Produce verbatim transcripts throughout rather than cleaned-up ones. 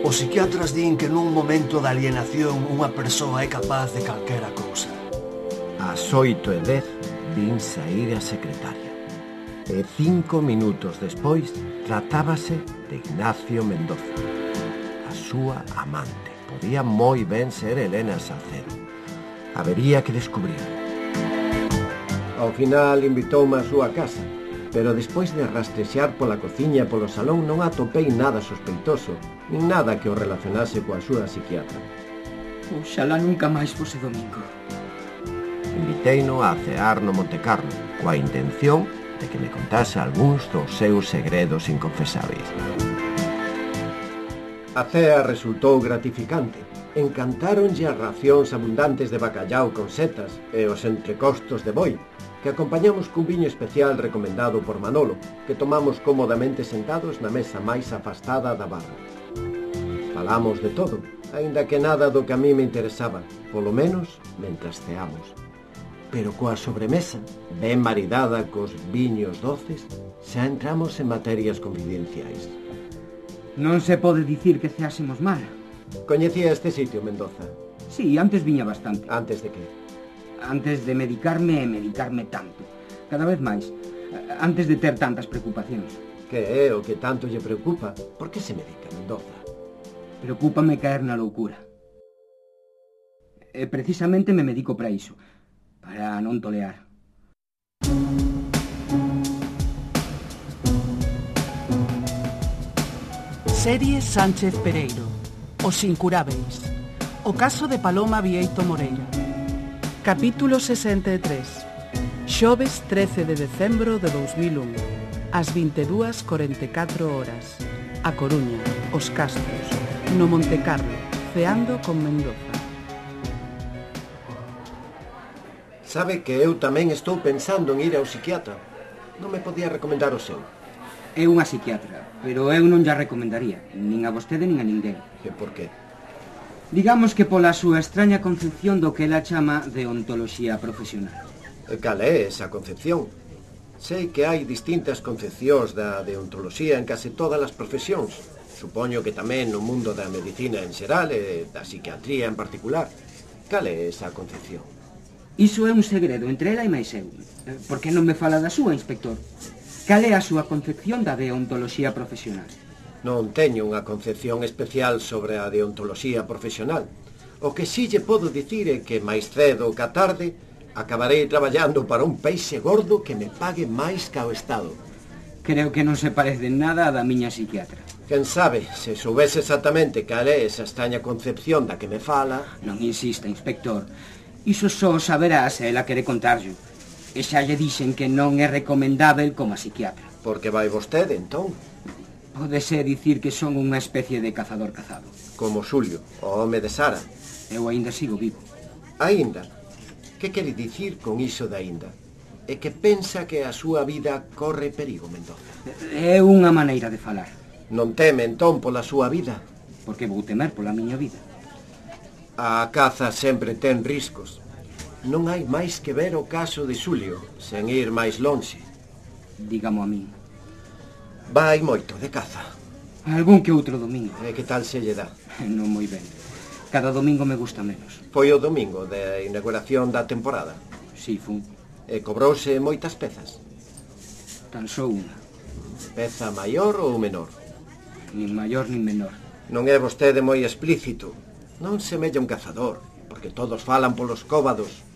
Os psiquiatras din que nun momento de alienación unha persoa é capaz de calquera cousa. Ás oito e dez vin saír a secretaria. E cinco minutos despois tratábase de Ignacio Mendoza. A súa amante. Podía moi ben ser Elena Salcedo. Habería que descubrir. Ao final invitoume á súa casa, pero despois de rastrexar pola cociña e polo salón non atopei nada sospeitoso, nin nada que o relacionase coa súa psiquiatra. Oxalá nunca máis fose domingo. Inviteino a cear no Montecarlo, coa intención de que me contase algúns dos seus segredos inconfesáveis. A cea resultou gratificante. Encantáronlle as racións abundantes de bacallau con setas e os entrecostos de boi, que acompañamos cun viño especial recomendado por Manolo, que tomamos cómodamente sentados na mesa máis afastada da barra. Falamos de todo, aínda que nada do que a mí me interesaba, polo menos mentras ceamos. Pero coa sobremesa, ben maridada cos viños doces, xa entramos en materias confidenciais. Non se pode dicir que ceásemos mal. Coñecía este sitio, Mendoza? Sí, antes viña bastante. Antes de que? Antes de medicarme e medicarme tanto. Cada vez máis. Antes de ter tantas preocupacións. Que é o que tanto lle preocupa? Por que se medica, Mendoza? Preocúpame caer na loucura. E precisamente me medico para iso. Para non tolear. Serie Sánchez Pereiro. Os incurábeis. O caso de Paloma Vieito Moreira. Capítulo sesenta e tres. Xoves trece de decembro de dous mil un. Ás vinte e dúas corenta e catro horas. A Coruña, Os Castros, no Montecarlo, ceando con Mendoza. Sabe que eu tamén estou pensando en ir ao psiquiatra. Non me podía recomendar o seu. É unha psiquiatra, pero eu non lla recomendaría, nin a vostede nin a ninguén. E por qué? Digamos que pola súa extraña concepción do que ela chama deontoloxía profesional. E cal é esa concepción? Sei que hai distintas concepcións da deontoloxía en case todas as profesións. Supoño que tamén no mundo da medicina en xeral e da psiquiatría en particular. Cal é esa concepción? Iso é un segredo entre ela e máis eu. Por que non me fala da súa, inspector? Cal é a súa concepción da deontoloxía profesional? Non teño unha concepción especial sobre a deontoloxía profesional. O que si lle podo dicir é que máis cedo que a tarde acabarei traballando para un peixe gordo que me pague máis ca o Estado. Creo que non se parece en nada a da miña psiquiatra. Quen sabe, se soubese exactamente cal é esa extraña concepción da que me fala... Non insista, inspector. Iso só saberá se ela quere contarlo. E xa lle dixen que non é recomendável como a psiquiatra. Por que vai vostede, entón? Pódese dicir que son unha especie de cazador cazado. Como Xulio, o home de Sara. Eu aínda sigo vivo. Aínda? Que quere dicir con iso de aínda? É que pensa que a súa vida corre perigo, Mendoza? É unha maneira de falar. Non teme, entón, pola súa vida? Porque vou temer pola miña vida. A caza sempre ten riscos. Non hai máis que ver o caso de Xulio, sen ir máis lonxe. Dígamo a min. Vai moito de caza? Algún que outro domingo. E que tal se lle dá? Non moi ben. Cada domingo me gusta menos. Foi o domingo de inauguración da temporada? Si, fun. E cobrouse moitas pezas? Tan só unha. Peza maior ou menor? Nin maior nin menor. Non é vostede moi explícito. Non semella un cazador, porque todos falan polos cóbados.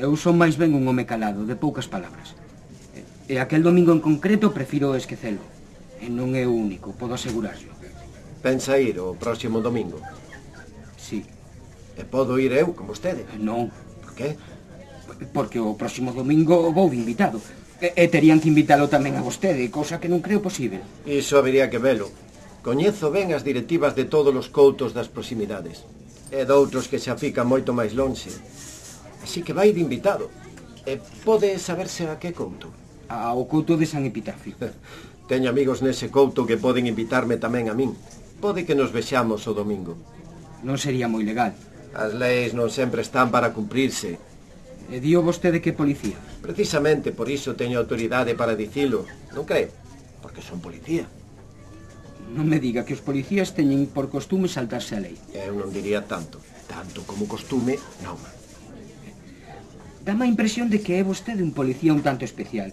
Eu son máis ben un home calado, de poucas palabras. E aquel domingo en concreto prefiro esquecelo. E non é o único, podo asegurarlo. Pensa ir o próximo domingo? Sí. E podo ir eu con vostede? Non. Por qué? Porque o próximo domingo vou de invitado. E, e terían que invitalo tamén a vostede, cousa que non creo posible. Iso habería que velo. Coñezo ben as directivas de todos os coutos das proximidades. E doutros que xa fican moito máis lonxe. Así que vai de invitado. E pode saberse a que couto? Ao couto de San Epitafio. Teño amigos nese couto que poden invitarme tamén a min. Pode que nos vexamos o domingo. Non sería moi legal. As leis non sempre están para cumprirse. E dio vostede que policía? Precisamente por iso teño autoridade para dicilo. Non creo? Porque son policía. Non me diga que os policías teñen por costume saltarse a lei. Eu non diría tanto. Tanto como costume, non. Dame a impresión de que é vostede un policía un tanto especial.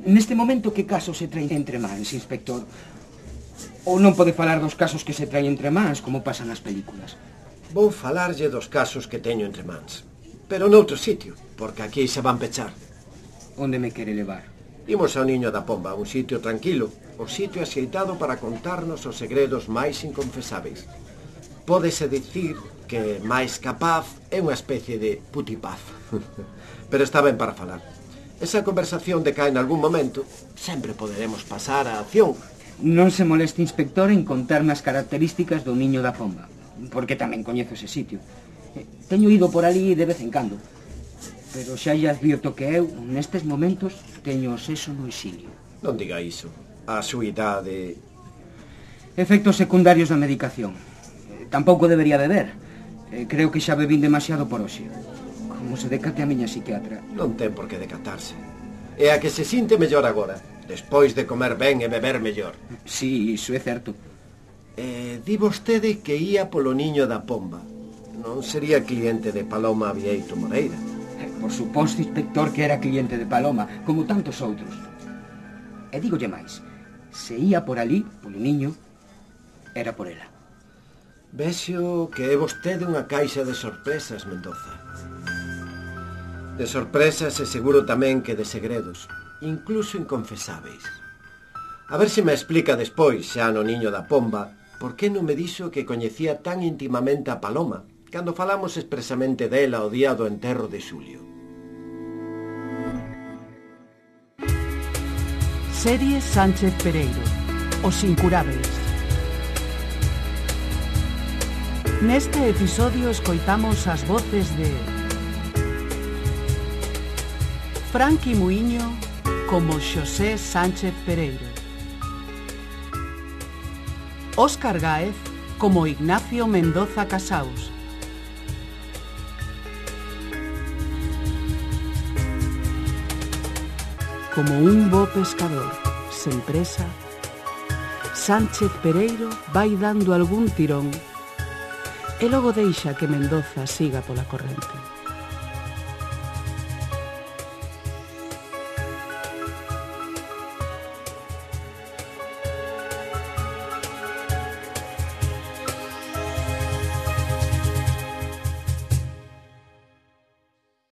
Neste momento, que casos se traen entre mans, inspector? Ou non pode falar dos casos que se traen entre mans, como pasan nas películas? Vou falarlle dos casos que teño entre mans. Pero noutro sitio, porque aquí se van pechar. Onde me quere levar? Imos ao Niño da Pomba, un sitio tranquilo, o sitio axeitado para contarnos os segredos máis inconfesáveis. Pódese dicir que máis capaz é unha especie de putipaz. Pero está ben para falar. Esa conversación decae en algún momento, sempre poderemos pasar á acción. Non se moleste, inspector, en contarme as características do Niño da Pomba, porque tamén coñezo ese sitio. Teño ido por ali de vez en cando, pero xa lle advirto que eu, nestes momentos, teño o sexo no exilio. Non diga iso. A súa idade... Efectos secundarios da medicación. Tampouco debería beber. Creo que xa bebín demasiado por hoxe. Como se decate a miña psiquiatra. Non ten por que decatarse. É a que se sinte mellor agora, despois de comer ben e beber mellor. Sí, iso é certo. Eh, di vostede que ía polo Niño da Pomba. Non sería cliente de Paloma Vieito Moreira? Por suposto, inspector, que era cliente de Paloma, como tantos outros. E dígolle máis, se ía por ali, polo niño, era por ela. Vexo que é vostede unha caixa de sorpresas, Mendoza. De sorpresas e seguro tamén que de segredos, incluso inconfesáveis. A ver se me explica despois, xa no Niño da Pomba, por que non me dixo que coñecía tan íntimamente a Paloma, cando falamos expresamente dela o día do enterro de Xulio. Serie Sánchez Pereiro, Os Incurábeis. Neste episodio escoitamos as voces de Franqui Muiño como Xosé Sánchez Pereiro, Óscar Gáez como Ignacio Mendoza Casaus, como un bo pescador sen presa, Sánchez Pereiro vai dando algún tirón e logo deixa que Mendoza siga pola corrente.